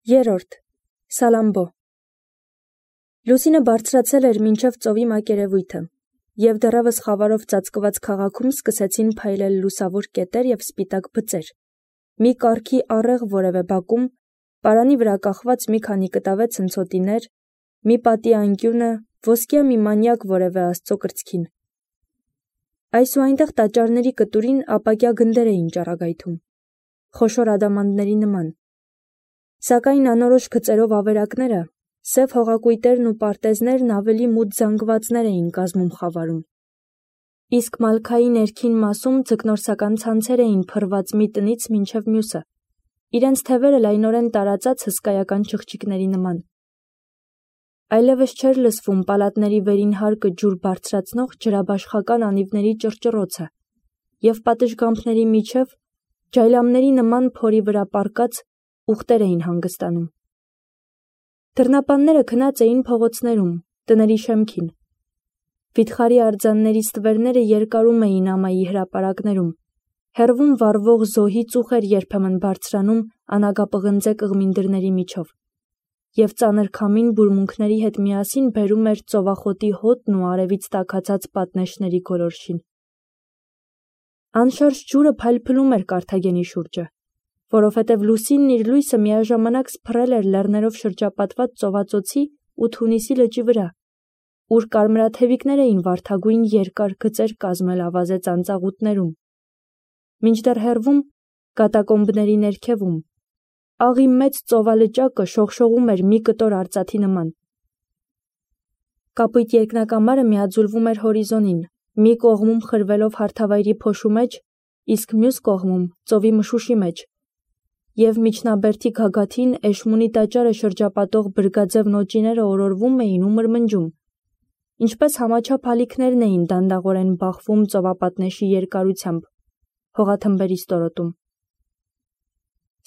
Երրորդ. Սալամբո։ Լուսինը բարձրացել էր մինչև ծովի մակերևույթը, և դեռևս խավարով ծածկված քաղաքում սկսեցին փայլել լուսավոր կետեր և սպիտակ բծեր, մի կառքի առեղ որևէ բակում, պարանի վրա կախված մի քանի կտավե ցնցոտիներ, մի պատի անկյունը, ոսկյա մի մանյակ որևէ աստծո կրծքին։ Այս ու այնտեղ տաճարների կտուրին ապակյա գնդեր էին ճառագայթում, խոշոր ադամանդների նման, սակայն անորոշ գծերով ավերակները, սև հողակույտերն ու պարտեզներն ավելի մութ զանգվածներ էին կազմում խավարում, իսկ մալքայի ներքին մասում ձկնորսական ցանցեր էին փռված մի տնից մինչև մյուսը, իրենց թևերը լայնորեն տարածած հսկայական չղջիկների նման։ Այլևս չէր լսվում պալատների վերին հարկը ջուր բարձրացնող ջրաբաշխական անիվների ճռճռոցը, և պատշգամբների միջև ջայլամների նման փորի վրա պառկած ուղտեր էին հանգստանում։ Դռնապանները քնած էին փողոցներում, տների շեմքին։ Վիթխարի արձանների ստվերները երկարում էին ամայի հրապարակներում, հեռվում վառվող զոհի ծուխ էր երբեմն բարձրանում անագապղնձե կղմին դռների միջով, և ծանր քամին բուրմունքների հետ միասին բերում էր ծովախոտի հոտն ու արևից տաքացած պատնեշների գոլորշին։ Անշարժ ջուրը փայլփլում էր Կարթագենի շուրջը, որովհետև լուսինն իր լույսը միաժամանակ սփռել էր լեռներով շրջապատված ծովածոցի ու Թունիսի լճի վրա, ուր կարմրաթևիկներ էին վարդագույն երկար գծեր կազմել ավազե ծանծաղուտներում, մինչդեռ հեռվում, կատակոմբների ներքևում, աղի մեծ ծովալճակը շողշողում էր մի կտոր արծաթի նման։ Կապույտ երկնակամարը միաձուլվում էր հորիզոնին, մի կողմում խրվելով հարթավայրի փոշու մեջ, իսկ մյուս կողմում ծովի մշուշի մեջ, և միջնաբերդի գագաթին Էշմունի տաճարը շրջապատող բրգաձև նոճիները օրորվում էին ու մրմնջում, ինչպես համաչափ ալիքներն էին դանդաղորեն բախվում ծովապատնեշի երկարությամբ, հողաթմբերի ստորոտում։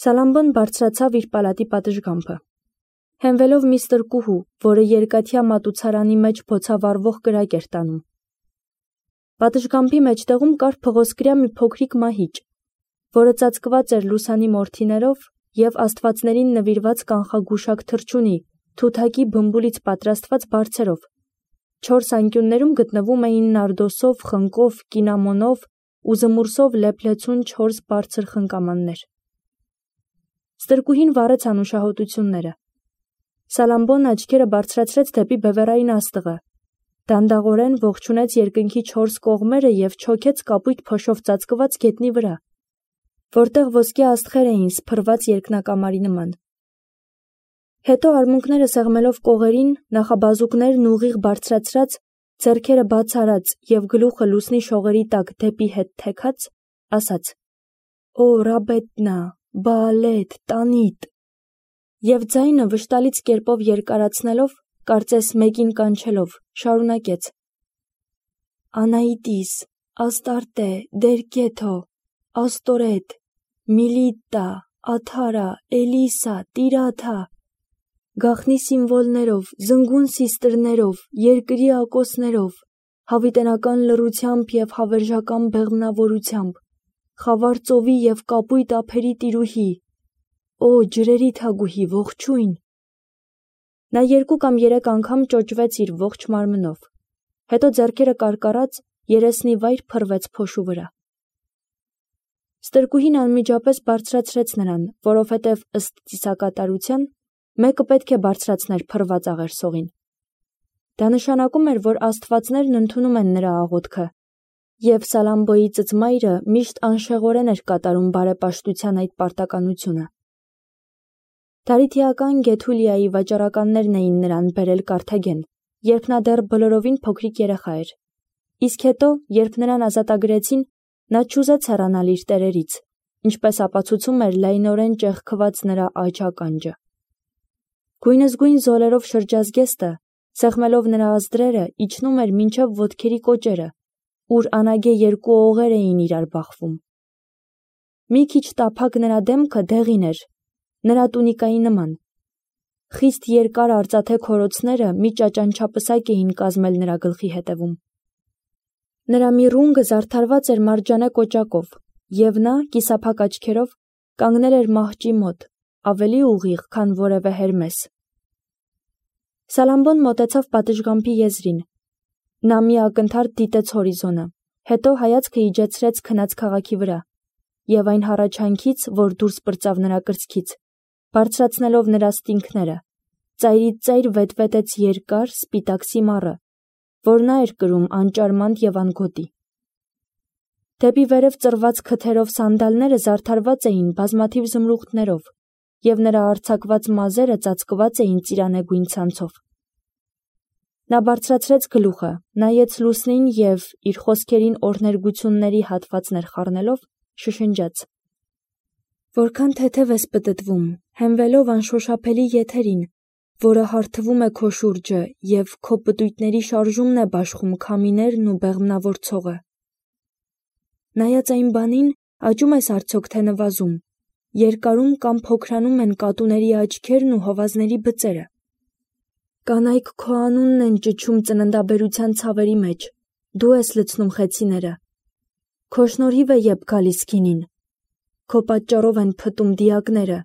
Սալամբոն բարձրացավ իր պալատի պատշգամբը, հենվելով մի ստրկուհու, որը երկաթյա մատուցարանի մեջ բոցավառվող կրակ էր տանում։ Պատշգամբի մեջտեղում կար փղոսկրյա մի փոքրիկ մահիճ, որը ծածկված էր լուսանի մորթիներով և աստվածներին նվիրված կանխագուշակ թռչունի, թութակի բմբուլից պատրաստված բարձերով, 4 անկյուններում գտնվում էին նարդոսով, խնկով, կինամոնով ու զմուրսով լեփլեցուն 4 բարձր խնկամաններ։ Ստրկուհին վառեց անուշահոտությունները։ Սալամբոն աչքերը բարձրացրեց դեպի բևեռային աստղը, դանդաղորեն ողջունեց երկնքի 4 կողմերը և չոքեց կապույտ փոշով ծածկված գետնի վրա, որտեղ ոսկյա աստղեր էին սփռված երկնակամարի նման։ Հետո արմունկները սեղմելով կողերին, նախաբազուկներն ուղիղ բարձրացրած, ձեռքերը բաց արած և գլուխը լուսնի շողերի տակ դեպի հետ թեքած, ասաց. «Օ Ռաբետնա, Բաալեթ, Տանիտ», և ձայնը վշտալից կերպով երկարացնելով, կարծես մեկին կանչելով, շարունակեց. «Անահիտիս, Աստարտե, Դերկեթո, Աստորեթ, Միլիտտա, Աթարա, Էլիսա, Տիրաթա, գաղտնի սիմվոլներով, զնգուն սիստրներով, երկրի ակոսներով, հավիտենական լռությամբ և հավերժական բեղմնավորությամբ, խավար ծովի և կապույտ ափերի տիրուհի, օ ջրերի թագուհի, ողջույն»։ Նա 2 կամ 3 անգամ ճոճվեց իր ողջ մարմնով, հետո ձեռքերը կարկառած երեսնիվայր փռվեց փոշու վրա։ Ստրկուհին անմիջապես բարձրացրեց նրան, որովհետև ըստ ծիսակատարության մեկը պետք է բարձրացներ փռված աղերսողին։ Դա նշանակում էր, որ աստվածներն ընդունում են նրա աղոթքը, և Սալամբոյի ծծմայրը միշտ անշեղորեն էր կատարում բարեպաշտության այդ պարտականությունը։ Դարիթիական Գեթուլիայի վաճառականներն էին նրան բերել Կարթագեն, երբ նա դեռ բոլորովին փոքրիկ երեխա էր, իսկ հետո, երբ նրան ազատագրեցին, նա չուզեց հեռանալ իր տերերից, ինչպես ապացուցում էր լայնորեն ճեղքված նրա աջ ականջը։ Գույնզգույն զոլերով շրջազգեստը, սեղմելով նրա ազդրերը, իջնում էր մինչև ոտքերի կոճերը, ուր անագե 2 օղեր էին իրար բախվում։ Մի քիչ տափակ նրա դեմքը դեղին էր, նրա տունիկայի նման։ Խիստ երկար արծաթե քորոցները մի ճաճանչապսակ էին կազմել նրա գլխի հետևում։ Նրա մի ռունգը զարդարված էր մարջանե կոճակով, և նա, կիսափակ աչքերով, կանգնել էր մահճի մոտ, ավելի ուղիղ, քան որևէ Հերմես։ Սալամբոն մոտեցավ պատշգամբի եզրին։ Նա մի ակնթարթ դիտեց հորիզոնը, հետո հայացքը իջեցրեց քնած քաղաքի վրա, և այն հառաչանքից, որ դուրս պրծավ նրա կրծքից, բարձրացնելով նրա ստինքները, ծայրից ծայր վետվետեց երկար, սպիտակ սիմառը, որ նա էր կրում անճարմանդ և անգոտի։ Դեպի վերև ծռված քթերով սանդալները զարդարված էին բազմաթիվ զմրուխտներով, և նրա արձակված մազերը ծածկված էին ծիրանեգույն ցանցով։ Նա բարձրացրեց գլուխը, նայեց լուսնին և, իր խոսքերին օրհներգությունների հատվածներ խառնելով, շշնջաց. «Որքան թեթև ես պտտվում, հենվելով անշոշափելի եթերին, որը հարթվում է քո շուրջը և քո պտույտների շարժումն է բաշխում քամիներն ու բեղմնավոր ցողը։ Նայած այն բանին, աճում ես արդյոք թե նվազում, երկարում կամ փոքրանում են կատուների աչքերն ու հովազների բծերը։ Կանայք քո անունն են ճչում ծննդաբերության ցավերի մեջ, դու ես լցնում խեցիները։ Քո շնորհիվ է եբ գալիս գինին, քո պատճառով են փտում դիակները,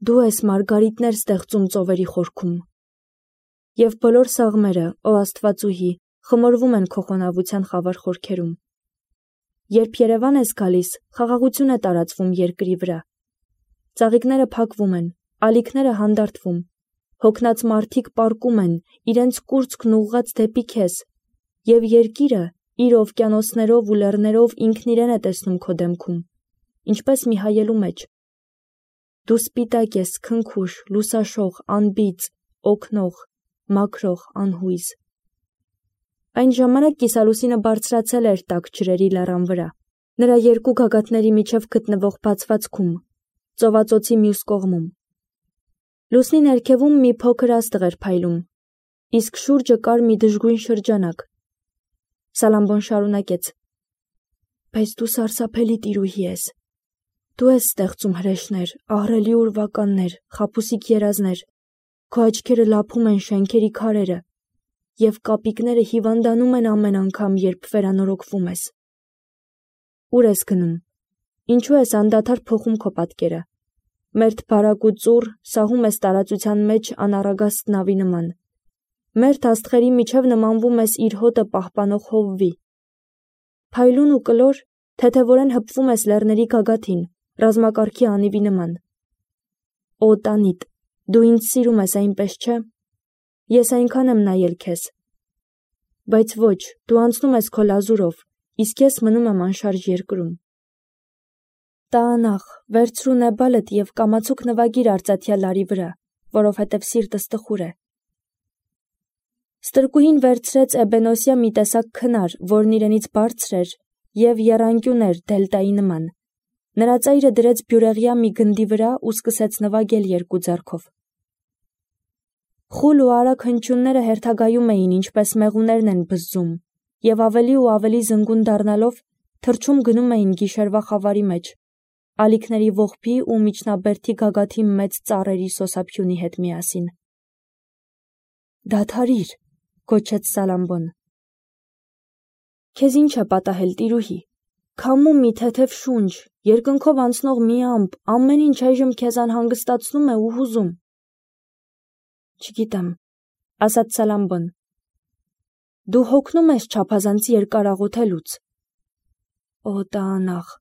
դու ես մարգարիտներ ստեղծում ծովերի խորքում։ Եվ բոլոր սաղմերը, ո Աստվածուհի, խմորվում են քո խոնավության խավար խորքերում։ Երբ Երևան ես գալիս, խաղաղություն է տարածվում երկրի վրա։ Ծաղիկները փակվում են, ալիքները հանդարտվում, հոգնած մարդիկ պառկում են, իրենց կուրծքն ուղղած դեպի քեզ, և երկիրը իր օվկիանոսներով ու լեռներով ինքն իրեն է տեսնում քո դեմքում, ինչպես մի հայելու մեջ։ Դու սպիտակ ես, քնքուշ, լուսաշող, անբիծ, օգնող, մաքրող, անհույզ։ Այն ժամանակ կիսալուսինը բարձրացել էր տաք ջրերի լեռան վրա, նրա երկու գագաթների միջև գտնվող բացվածքում, ծովածոցի մյուս կողմում։ Լուսնի ներքևում մի փոքր աստղ էր փայլում, իսկ շուրջը կար մի դժգույն շրջանակ։ Սալամբոն շարունակեց. «Բայց դու սարսափելի տիրուհի ես։ Դու ես ստեղծում հրեշներ, ահռելի ուրվականներ, խաբուսիկ երազներ, քո աչքերը լափում են շենքերի քարերը, և կապիկները հիվանդանում են ամեն անգամ, երբ վերանորոգվում ես։ Ուր ես գնում, ինչու ես անդադար փոխում քո պատկերը, մերթ բարակ ու ծուռ սահում ես տարածության մեջ անառագաստ նավի նման, մերթ աստղերի միջև նմանվում ես իր հոտը պահպանող հովվի, փայլուն ու կլոր, թեթևորեն հպվում ես լեռների գագաթին, ռազմակարգի անիվի նման։ Օ տանիտ, դու ինձ սիրում ես, այնպես չէ։ Ես այնքան եմ նայել քեզ։ Բայց ոչ, դու անցնում ես քո լազուրով, իսկ ես մնում եմ անշարժ երկրում։ Տա անախ, վերցրու նեբալդ և կամացուկ նվագիր արծաթյա լարի վրա, որովհետև սիրտս տխուր է։ Ստրկուհին վերցրեց էբենոսյա մի տեսակ քնար, որն իրենից բարձր էր և եռանկյուն էր դելտայի նման։ Նրա ծայրը դրեց բյուրեղյա մի գնդի վրա ու սկսեց նվագել երկու ձեռքով։ Խուլ ու արագ հնչյունները հերթագայում էին, ինչպես մեղուներն են բզզում, և ավելի ու ավելի զնգուն դառնալով, թռչում գնում էին գիշերվա խավարի մեջ, ալիքների ողբի ու միջնաբերդի գագաթի մեծ ծառերի սոսափյունի հետ միասին։ Դադարիր, գոչեց Սալամբոն։ Քեզ ինչ է պատահել, տիրուհի։ Քամու մի թեթև շունչ, երկնքով անցնող մի ամպ, ամեն ինչ այժմ քեզ անհանգստացնում է ու հուզում։ Չգիտեմ, ասաց Սալամբոն։ Դու հոգնում ես չափազանց երկար աղոթելուց։ Օ տա անախ,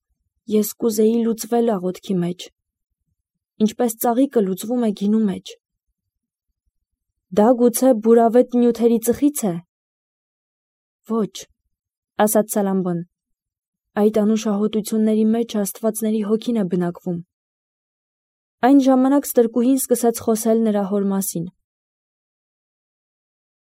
ես կուզեի լուծվել աղոթքի մեջ, ինչպես ծաղիկը լուծվում է գինու մեջ։ Դա գուցե բուրավետ նյութերի ծխից է։ Ոչ, ասաց Սալամբոն։ Այդ անուշահոտությունների մեջ աստվածների հոգին է բնակվում։ Այն ժամանակ ստրկուհին սկսեց խոսել նրա հոր մասին։